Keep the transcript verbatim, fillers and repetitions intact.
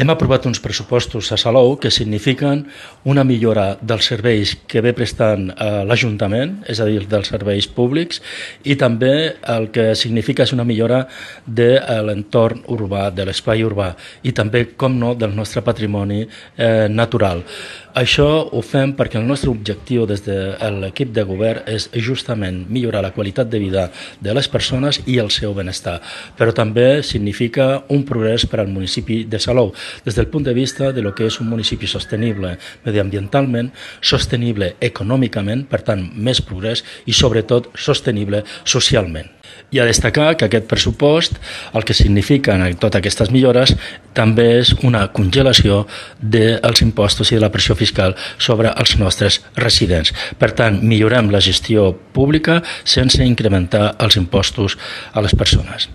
Hem aprovat uns pressupostos a Salou que signifiquen una millora dels serveis que ve prestant l'Ajuntament, és a dir, dels serveis públics, i també el que significa és una millora de l'entorn urbà, de l'espai urbà, i també, com no, del nostre patrimoni eh, natural. Això ho fem perquè el nostre objectiu des de l'equip de govern és justament millorar la qualitat de vida de les persones i el seu benestar, però també significa un progrés per al municipi de Salou, des del punt de vista de lo que és un municipi sostenible mediambientalment, sostenible econòmicament, per tant, més progrés i sobretot sostenible socialment. I a destacar que aquest pressupost, el que signifiquen totes aquestes millores, també és una congelació dels impostos i de la pressió fiscal sobre els nostres residents. Per tant, millorem la gestió pública sense incrementar els impostos a les persones.